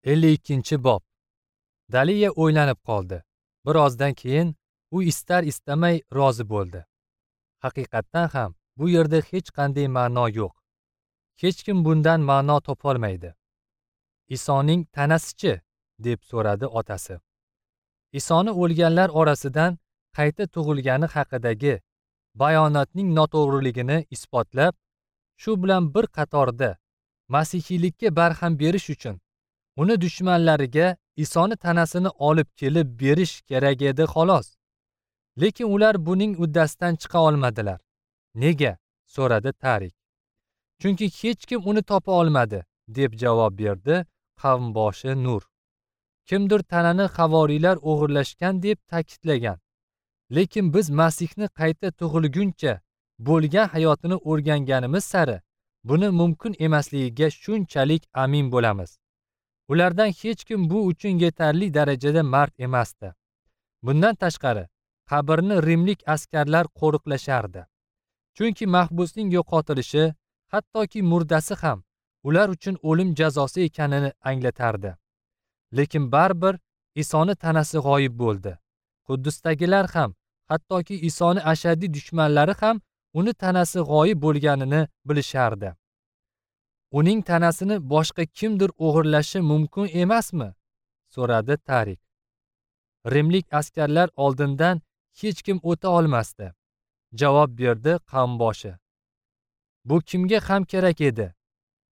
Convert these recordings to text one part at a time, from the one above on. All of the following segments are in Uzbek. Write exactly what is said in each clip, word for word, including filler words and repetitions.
ellik ikkinchi bob. Daliya o'ylanib qoldi. Birozdan keyin u istar istamay rozi bo'ldi. Haqiqatdan ham bu yerda hech qanday ma'no yo'q. Hech kim bundan ma'no topolmaydi. Isoning tanasi-chi? Deb so'radi otasi. Isoni o'lganlar orasidan qayta tug'ilgani haqidagi bayonotning noto'g'riligini isbotlab, shu bilan bir qatorda masihiylikka barham berish uchun uni dushmanlariga Isoni tanasini olib kelib berish kerak edi xolos. Lekin ular buning uddasidan chiqa olmadilar. Nega? So'radi Tarik. Chunki hech kim uni topa olmadi, deb javob berdi qavmboshi Nur. Kimdir tanani havoriylar o'g'irlashgan deb ta'kidlagan. Lekin biz Masihni qayta tug'ilguncha bo'lgan hayotini o'rganganimiz sari buni mumkin emasligiga shunchalik amin bo'lamiz. Ulardan hech kim bu uchun yetarli darajada mard emasdi. Bundan tashqari, qabrni rimlik askarlar qo'riqlashardi. Chunki mahbusning yo'qotilishi, hattoki murdasi ham ular uchun o'lim jazosi ekanini anglatardi. Lekin baribir Isoni tanasi g'oyib bo'ldi. Quddusdagilar ham, hattoki Isoni ashaddiy dushmanlari ham uni tanasi g'oyib bo'lganini bilishardi. Uning tanasini boshqa kimdir o'g'irlashi mumkin emasmi? So'radi Tarik. Rimlik askarlar oldindan hech kim o'ta olmasdi, javob berdi qavmboshi. Bu kimga ham kerak edi?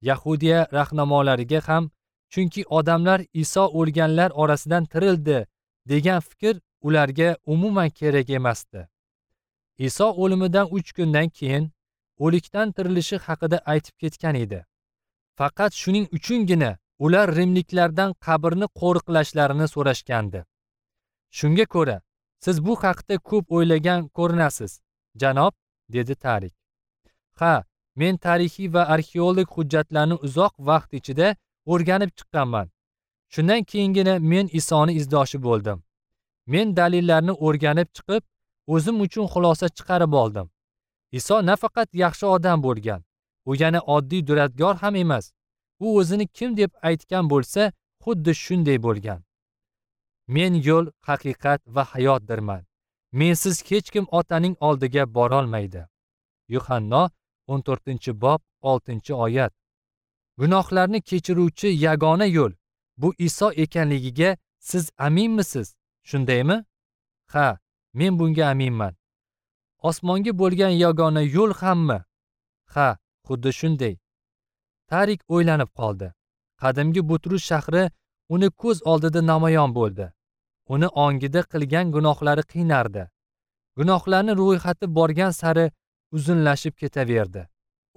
Yahudiya rahnamolariga ham, chunki odamlar Iso o'lganlar orasidan tirildi degan fikr ularga umuman kerak emasdi. Iso o'limidan uch kundan keyin o'likdan tirilishi haqida aytib ketgan edi. Faqat shuning uchungina ular rimliklardan qabrni qo'riqlashlarini so'rashgandi. Shunga ko'ra, siz bu haqda ko'p o'ylagan ko'rinasiz, janob, dedi Tarik. Ha, men tarixiy va arxeologik hujjatlarni uzoq vaqt ichida o'rganib chiqqanman. Shundan keyingina men Isoni izdoshi bo'ldim. Men dalillarni o'rganib chiqib, o'zim uchun xulosa chiqarib oldim. Iso nafaqat yaxshi odam bo'lgan, u yana oddiy duradgor ham emas. U o'zini kim deb aytgan bo'lsa, xuddi shunday bo'lgan. Men yo'l, haqiqat va hayotdirman. Mensiz hech kim Otaning oldiga borolmaydi. Yuhanno o'n to'rtinchi bob oltinchi oyat. Gunohlarni kechiruvchi yagona yo'l bu Iso ekanligiga siz aminmisiz? Shundaymi? Ha, men bunga aminman. Osmonga bo'lgan yagona yo'l hammi? Ha, xuddi shunday. Tarik o'ylanib qoldi. Qadimgi Butrus shahri uni ko'z oldida namoyon bo'ldi. Uni ongida qilgan gunohlari qiynardi. Gunohlarni ro'yxati borgan sari uzunlashib ketaverdi.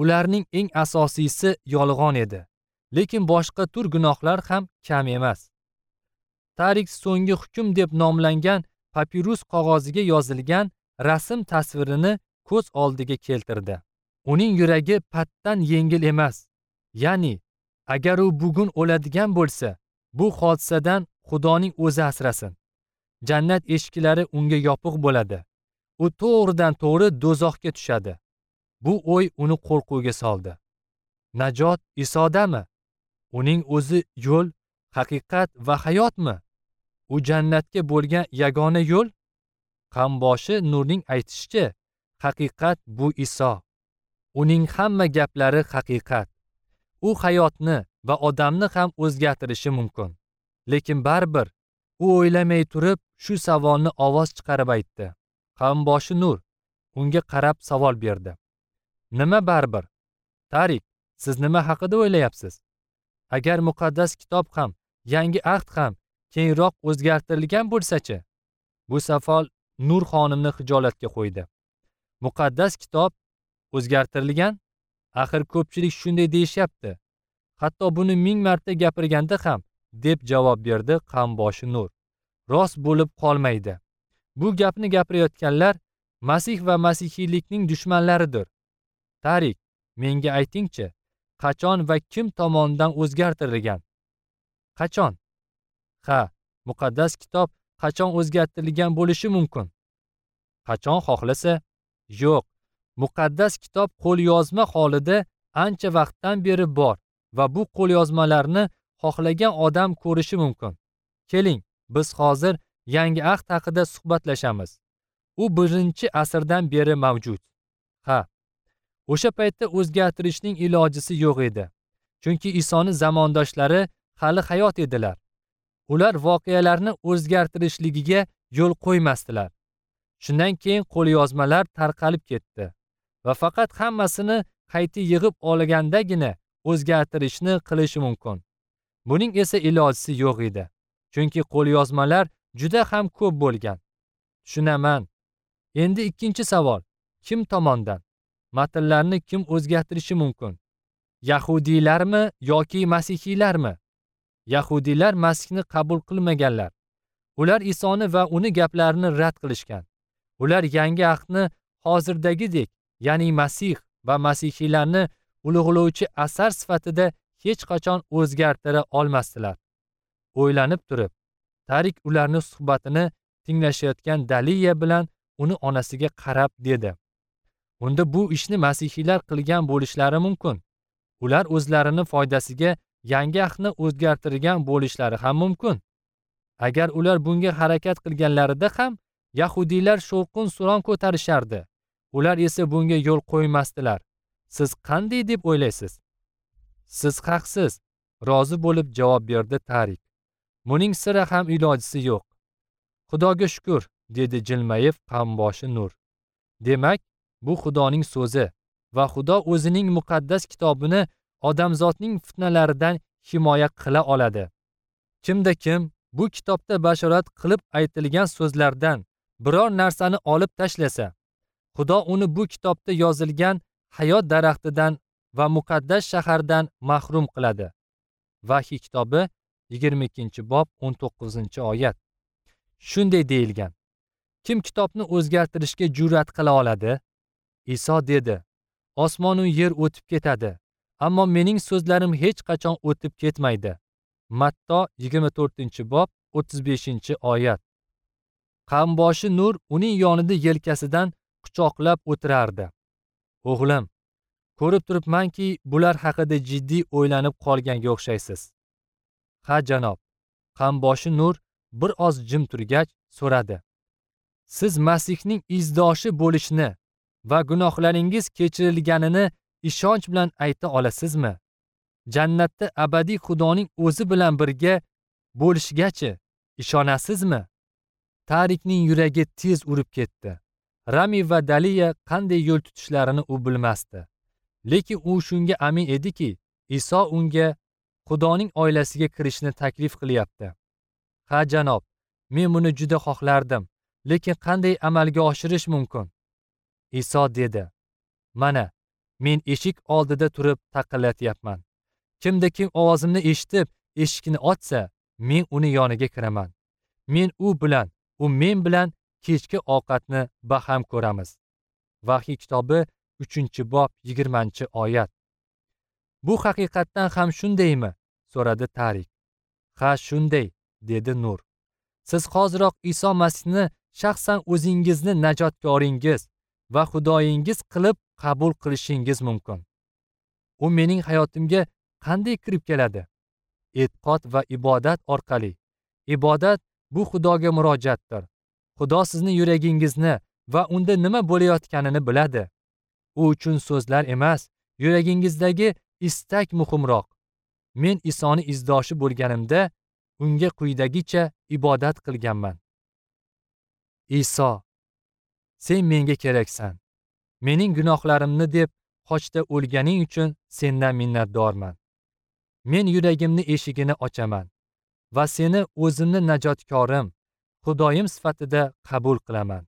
Ularning eng asosiysi yolg'on edi. Lekin boshqa tur gunohlar ham kam emas. Tarik so'nggi hukm deb nomlangan papirus qog'oziga yozilgan rasm tasvirini ko'z oldiga keltirdi. Uning yuragi patdan yengil emas. Ya'ni, agar u bugun o'ladigan bo'lsa, bu hodisadan Xudoning o'zi asrasin. Jannat eshiklari unga yopiq bo'ladi. U to'g'ridan to'g'ri do'zaxga tushadi. Bu o'y uni qo'rquvga soldi. Najot Isodami? Uning o'zi yo'l, haqiqat va hayotmi? U jannatga bo'lgan yagona yo'l? Qamboshi Nurning aytishicha, haqiqat bu Iso. Uning hamma gaplari haqiqat. U hayotni va odamni ham o'zgartirishi mumkin. Lekin baribir u o'ylamay turib shu savolni ovoz chiqarib aytdi. Qamboshi Nur unga qarab savol berdi. Nima baribir? Tarik, siz nima haqida o'ylayapsiz? Agar muqaddas kitob ham, yangi ahd ham keyinroq o'zgartirilgan bo'lsa-chi? Bu savol Nur xonimni xijolatga qo'ydi. Muqaddas kitob o'zgartirilgan? Axir ko'pchilik shunday deyishyapti. Hatto buni ming marta gapirganda ham, deb javob berdi qamboshi Nur. Rost bo'lib qolmaydi. Bu gapni gapirayotganlar Masih va masihiylikning dushmanlaridir. Tarik, menga aytingchi, qachon va kim tomonidan o'zgartirilgan? Qachon? Ha, muqaddas kitob qachon o'zgartirilgan bo'lishi mumkin? Qachon xohlasa? Yo'q. Muqaddas kitob qo'lyozma holida ancha vaqtdan beri bor va bu qo'lyozmalarni xohlagan odam ko'rishi mumkin. Keling, biz hozir Yangi Ahd haqida suhbatlashamiz. U birinchi asrdan beri mavjud. Ha, o'sha paytda o'zgartirishning ilojisi yo'q edi. Chunki Isoni zamondoshlari hali hayot edilar. Ular voqealarni o'zgartirishligiga yo'l qo'ymasdilar. Shundan keyin qo'lyozmalar tarqalib ketdi va faqat hammasini qayta yig'ib olgandagina o'zgartirishni qilishi mumkin. Buning esa ilojisi yo'q edi. Chunki qo'lyozmalar juda ham ko'p bo'lgan. Tushunaman. Endi ikkinchi savol. Kim tomondan? Matnlarni kim o'zgartirishi mumkin? Yahudiylarmi yoki masihiylarmi? Yahudiylar Masihni qabul qilmaganlar. Ular Isoni va uni gaplarini rad qilishgan. Ular yangi ahdni hozirdagidek, ya'ni Masih va masihiylarni ulug'lovchi asar sifatida hech qachon o'zgartira olmasdilar. O'ylanib turib, Tarik ularning suhbatini tinglashayotgan Daliya bilan uni onasiga qarab dedi: "Unda bu ishni masihiylar qilgan bo'lishlari mumkin. Ular o'zlarini foydasiga yangi ahdni o'zgartirgan bo'lishlari ham mumkin. Agar ular bunga harakat qilganlarida ham yahudiylar shovqin-suron ko'tarishardi. Ular esa bunga yo'l qo'ymasdilar. Siz qanday deb o'ylaysiz?" "Siz haqsiz", rozi bo'lib javob berdi Tarik. "Buning sira ham ilojisi yo'q." "Xudoga shukr", dedi jilmayib qamboshi Nur. "Demak, bu Xudoning so'zi va Xudo o'zining muqaddas kitobini odamzodning fitnalaridan himoya qila oladi. Kimda kim bu kitobda bashorat qilib aytilgan so'zlardan biror narsani olib tashlasa, Xudo uni bu kitobda yozilgan hayot daraxtidan va muqaddas shahardan mahrum qiladi." Vahiy kitobi yigirma ikkinchi bob o'n to'qqizinchi oyat. Shunday deyilgan: Kim kitobni o'zgartirishga jur'at qila oladi? Iso dedi: "Osmon u yer o'tib ketadi, ammo mening so'zlarim hech qachon o'tib ketmaydi." Matto yigirma to'rtinchi bob o'ttiz beshinchi oyat. Qamboshi Nur uning yonida yelkasidan quchoqlab o'tirardi. "O'g'lim, ko'rib turibmanki, bular haqida jiddiy o'ylanib qolganga o'xshaysiz." "Ha, janob." Qamboshi Nur bir oz jim turgach so'radi: "Siz Masihning izdoshi bo'lishni va gunohlaringiz kechirilganini ishonch bilan ayta olasizmi? Jannatda abadiy Xudoning o'zi bilan birga bo'lishgachi ishonasizmi?" Tarikning yuragi tez urib ketdi. Rami va Daliya qanday yo'l tutishlarini u bilmasdi. Lekin u shunga amin ediki, Iso unga Xudoning oilasiga kirishni taklif qilyapti. "Ha, janob, men buni juda xohlardim, lekin qanday amalga oshirish mumkin?" Iso dedi: "Mana, men eshik oldida turib taqillatyapman. Kimda kim ovozimni eshitib, eshikni ochsa, men uni yoniga kiraman. Men u bilan, u men bilan kechki ovqatni baham ko'ramiz." Vahiy kitobi uchinchi bob yigirmanchi oyat. "Bu haqiqatdan ham shundaymi?" so'radi Tarik. "Ha, shunday", dedi Nur. "Siz hoziroq Iso Masihni shaxsan o'zingizni najotkoringiz va Xudoyingiz qilib qabul qilishingiz mumkin. U mening hayotimga qanday kirib keladi? E'tiqod va ibodat orqali. Ibodat bu Xudoga murojaatdir. Xudo sizni yuragingizni va unda nima bo'layotganini biladi. U uchun so'zlar emas, yuragingizdagi istak muhimroq. Men Isoni izdoshi bo'lganimda unga quyidagicha ibodat qilganman. Iso, sen menga keraksan. Mening gunohlarimni deb xochda o'lganing uchun sendan minnatdorman. Men yuragimni eshigini ochaman va seni o'zimni najotkorim, Xudoyim sifatida qabul qilaman.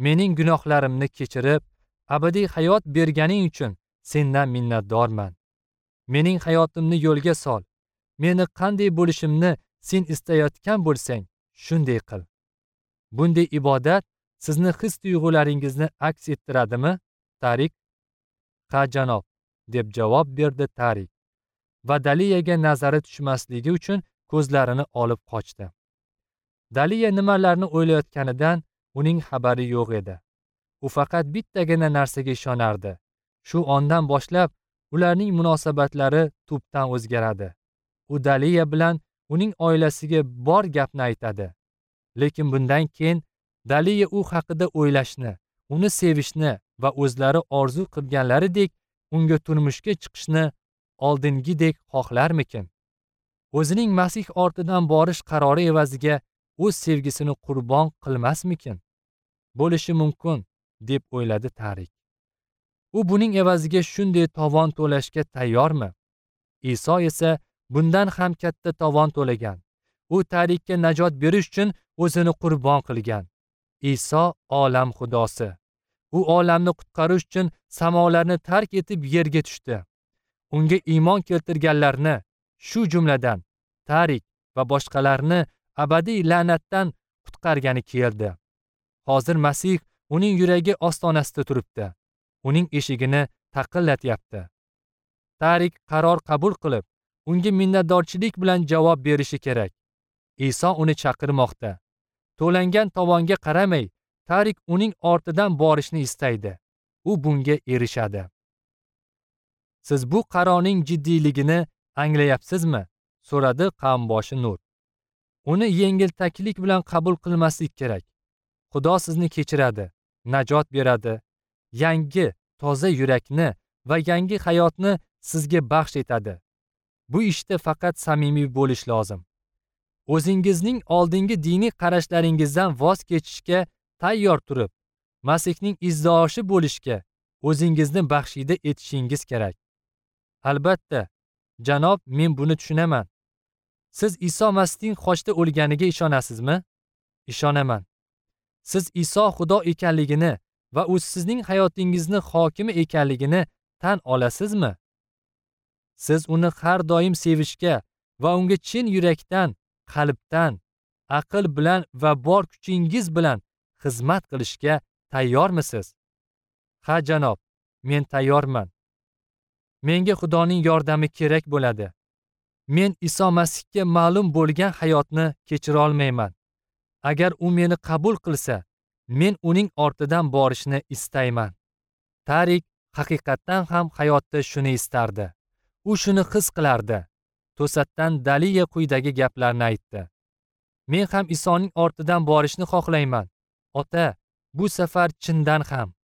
Mening gunohlarimni kechirib, abadiy hayot berganing uchun sendan minnatdorman. Mening hayotimni yo'lga sol. Meni qanday bo'lishimni sen istayotgan bo'lsang, shunday qil." Bunday ibodat sizni his-tuyg'ularingizni aks ettiradimi, Tarik? "Ha, janob", deb javob berdi Tarik. Va Daliyaga nazari tushmasligi uchun ko'zlarini olib qochdi. Daliya nimalarni o'ylayotganidan uning xabari yo'q edi. U faqat bittagina narsaga ishonardi. Shu ondan boshlab ularning munosabatlari tubdan o'zgaradi. U Daliya bilan uning oilasiga bor gapni aytadi. Lekin bundan keyin Daliya u haqida o'ylashni, uni sevishni va o'zlari orzu qilganlaridek unga turmushga chiqishni oldingidek xohlarmikin? O'zining Masih ortidan borish qarori evaziga o'z sevgisini qurbon qilmasmikin? Bo'lishi mumkin, deb o'yladi Tarik. U buning evaziga shunday tovon to'lashga tayyormi? Iso esa bundan ham katta tovon to'lagan. U Tarikka najot berish uchun o'zini qurbon qilgan. Iso olam xudosi. U olamni qutqarish uchun samolarni tark etib yerga tushdi. Unga iymon keltirganlarni, shu jumladan Tarik va boshqalarni abadiy la'natdan qutqargani keldi. Hozir Masih uning yuragi ostonasida turibdi. Uning eshigini taqillatyapti. Tarik qaror qabul qilib, unga minnatdorchilik bilan javob berishi kerak. Iso uni chaqirmoqda. To'langan tovonga qaramay, Tarik uning ortidan borishni istaydi. U bunga erishadi. Siz bu qarorning jiddiyligini anglayapsizmi? So'radi qavmboshi Nur. Uni yengiltaklik bilan qabul qilmaslik kerak. Xudo sizni kechiradi, najot beradi, yangi, toza yurakni va yangi hayotni sizga baxsh etadi. Bu ishda faqat samimiy bo'lish lozim. O'zingizning oldingi diniy qarashlaringizdan voz kechishga tayyor turib, Masihning izdoshi bo'lishga o'zingizni baxshida etishingiz kerak. Albatta, janob, men buni tushunaman. Siz Iso Masihning xochda o'lganiga ishonasizmi? Ishonaman. Siz Iso Xudo ekanligini va u sizning hayotingizni hokimi ekanligini tan olasizmi? Siz uni har doim sevishga va unga chin yurakdan, qalbdan, aql bilan va bor kuchingiz bilan xizmat qilishga tayyormisiz? Ha, janob, men tayyorman. Menga Xudoning yordami kerak bo'ladi. Men Iso Masihga ma'lum bo'lgan hayotni kechira olmayman. Agar u meni qabul qilsa, men uning ortidan borishni istayman. Tarik haqiqatdan ham hayotda shuni istardi. U shuni his qilardi. To'satdan Daliya quyidagi gaplarni aytdi. Men ham Isoning ortidan borishni xohlayman. Ota, bu safar chindan ham.